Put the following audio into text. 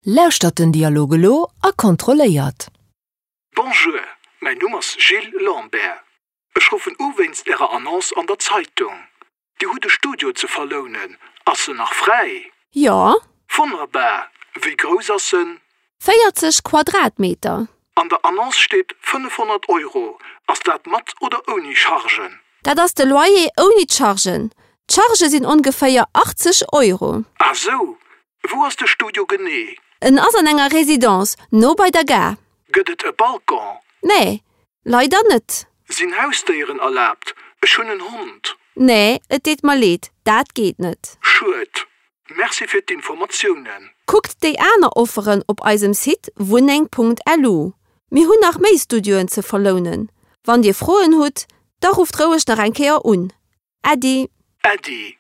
Lauschtert den Dialog elo a kontrolléiert. Bonjour, mäin Numm ass Gilles Lambert. Ech ruffen u wéinst Ärer Annonce an der Zeitung. Dir hutt e Studio ze verlounen. Ass en nach fräi? Jo. Wonnerbar! Wéi grouss ass en? 40 Quadratmeter. An der Annonce steet 500 Euro. Ass dat mat oder ouni Chargen? Dat ass de Loyer ouni d'Chargen. D'Chargë sinn ongeféier 80 Euro. Ah sou, Wou ass de Studio genee? En ass an enger Residence, no bei der Gare. Gëtt et e Balcon? Nee, leider net. Sinn Hausdéieren erlaabt? Ech hunn en Hond. Nee, et deet mer leed, dat geet net. Schued. Merci fir d'Informatiounen. Kuckt déi aner Offeren op eisem Site wunneng.lu. Mir hunn nach méi Studioen ze verlounen. Wann Dir Froen hutt, da rufft roueg nach eng Kéier un. Äddi. Äddi.